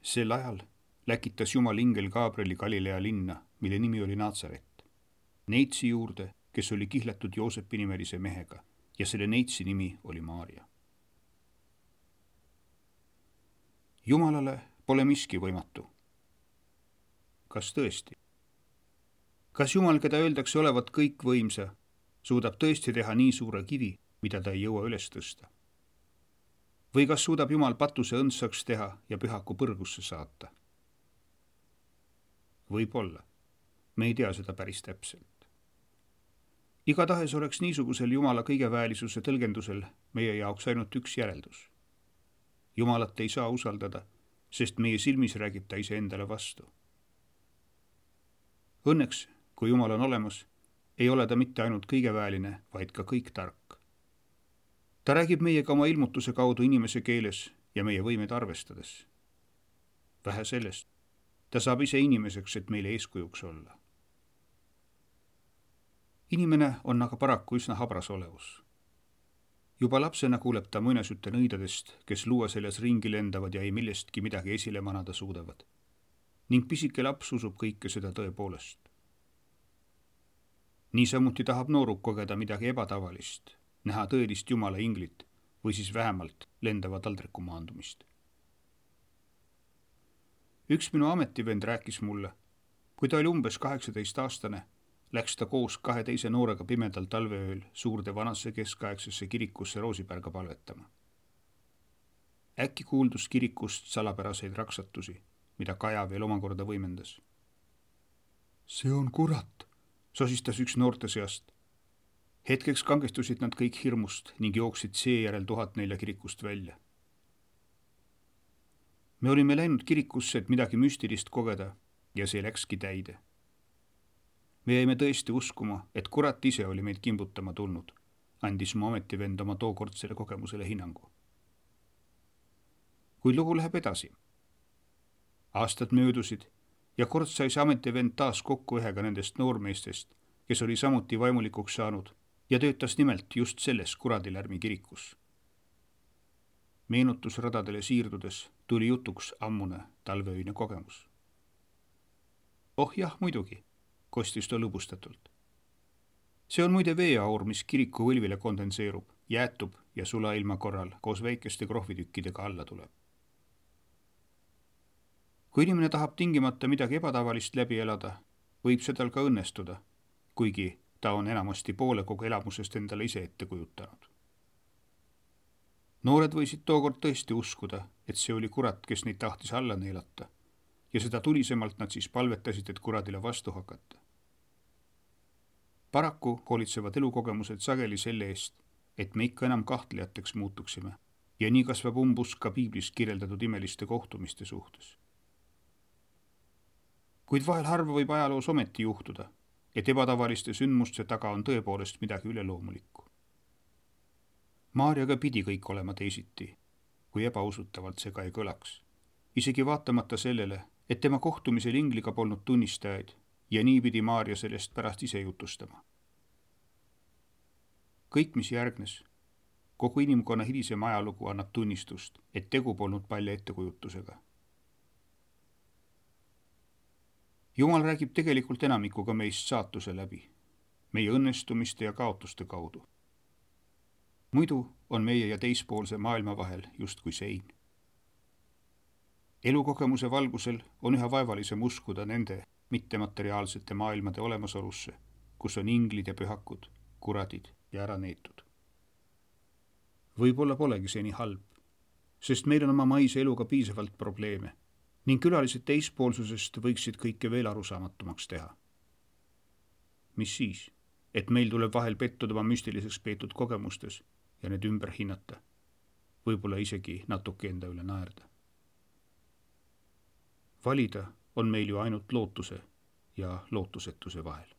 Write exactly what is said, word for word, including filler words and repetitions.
Sel ajal läkitas Jumal ingel Gabrieli Galilea linna, mille nimi oli Nazaret, neitsi juurde, kes oli kihlatud Joosepi nimelise mehega, ja selle neitsi nimi oli Maaria. Jumalale pole miski võimatu. Kas tõesti? Kas Jumal, keda öeldakse olevat kõikvõimsa, suudab tõesti teha nii suure kivi, mida ta ei jõua üles tõsta? Või kas suudab Jumal patuse õndsaks teha ja pühaku põrgusse saata? Võib-olla. Me ei tea seda päris täpselt. Igatahes oleks niisugusel Jumala kõigeväelisuse tõlgendusel meie jaoks ainult üks järeldus. Jumalat ei saa usaldada, sest meie silmis räägib ta iseendale vastu. Õnneks, kui Jumal on olemas, ei ole ta mitte ainult kõigeväeline, vaid ka kõik tark. Ta räägib meiega oma ilmutuse kaudu inimese keeles ja meie võimed arvestades. Vähe sellest, ta saab ise inimeseks, et meile eeskujuks olla. Inimene on aga paraku üsna habras olevus. Juba lapsena kuuleb ta muinasjutte nõidadest, kes luua selles ringi lendavad ja ei millestki midagi esile manada suudavad. Ning pisike laps usub kõike seda tõepoolest. Niisamuti tahab nooruk kogeda midagi ebatavalist, näha tõelist Jumala inglit või siis vähemalt lendava taldriku maandumist. Üks minu ametivend rääkis mulle, kui ta oli umbes kaheksateist aastane, läks ta koos kahe teise noorega pimedal talveööl suurde vanasse keskaegsesse kirikusse Roosipärga palvetama. Äkki kuuldus kirikust salapäraseid raksatusi, mida Kaja veel omakorda võimendas. See on kurat, sosistas üks noorte seast. Hetkeks kangestusid nad kõik hirmust ning jooksid seejärel tuhat nelja kirikust välja. Me olime läinud kirikusse, et midagi müstilist kogeda ja see läkski täide. Me jäime tõesti uskuma, et kurat ise oli meid kimbutama tulnud, andis mu ametivend oma tookordsele kogemusele hinnangu. Kui lugu läheb edasi. Aastad möödusid ja kord sai see ametivend taas kokku ühega nendest noormeestest, kes oli samuti vaimulikuks saanud ja töötas nimelt just selles kuradilärmi kirikus. Meenutusradadele siirdudes tuli jutuks ammune talveöine kogemus. Oh jah, muidugi, kostis ta lõbustatult. See on muide veeaur, mis kiriku võlvile kondenseerub, jäätub ja sulailma korral koos väikeste krohvitükkidega alla tuleb. Kui inimene tahab tingimata midagi ebatavalist läbi elada, võib see tal ka õnnestuda, kuigi ta on enamasti poole kogu elamusest endale ise ette kujutanud. Noored võisid tookord tõesti uskuda, et see oli kurat, kes neid tahtis alla neelata, ja seda tulisemalt nad siis palvetasid, et kuradile vastu hakata. Paraku hoolitsevad elukogemused sageli selle eest, et me ikka enam kahtlejateks muutuksime ja nii kasvab umbusk ka piiblis kirjeldatud imeliste kohtumiste suhtes. Kuid vahel harva võib ajaloos ometi juhtuda, et ebatavaliste sündmuste taga on tõepoolest midagi üleloomulikku. Maarjaga pidi kõik olema teisiti, kui ebausutavalt see ka ei kõlaks, isegi vaatamata sellele, et tema kohtumisel ingliga polnud tunnistajaid ja nii pidi Maarja sellest pärast ise jutustama. Kõik, mis järgnes, kogu inimkonna hilisem ajalugu annab tunnistust, et tegu polnud palja ettekujutusega. Jumal räägib tegelikult enamikuga meist saatuse läbi, meie õnnestumiste ja kaotuste kaudu. Muidu on meie ja teispoolse maailma vahel justkui sein. Elukogemuse valgusel on üha vaevalisem uskuda nende mittemateriaalsete maailmade olemasolusse, kus on inglid ja pühakud, kuradid ja ära neetud. Võib-olla polegi see nii halb, sest meil on oma maise eluga piisavalt probleeme ning külalised teispoolsusest võiksid kõike veel arusaamatumaks teha. Mis siis, et meil tuleb vahel pettuda oma müstiliseks peetud kogemustes ja need ümber hinnata, võib-olla isegi natuke enda üle naerda. Valida on meil ju ainult lootuse ja lootusetuse vahel.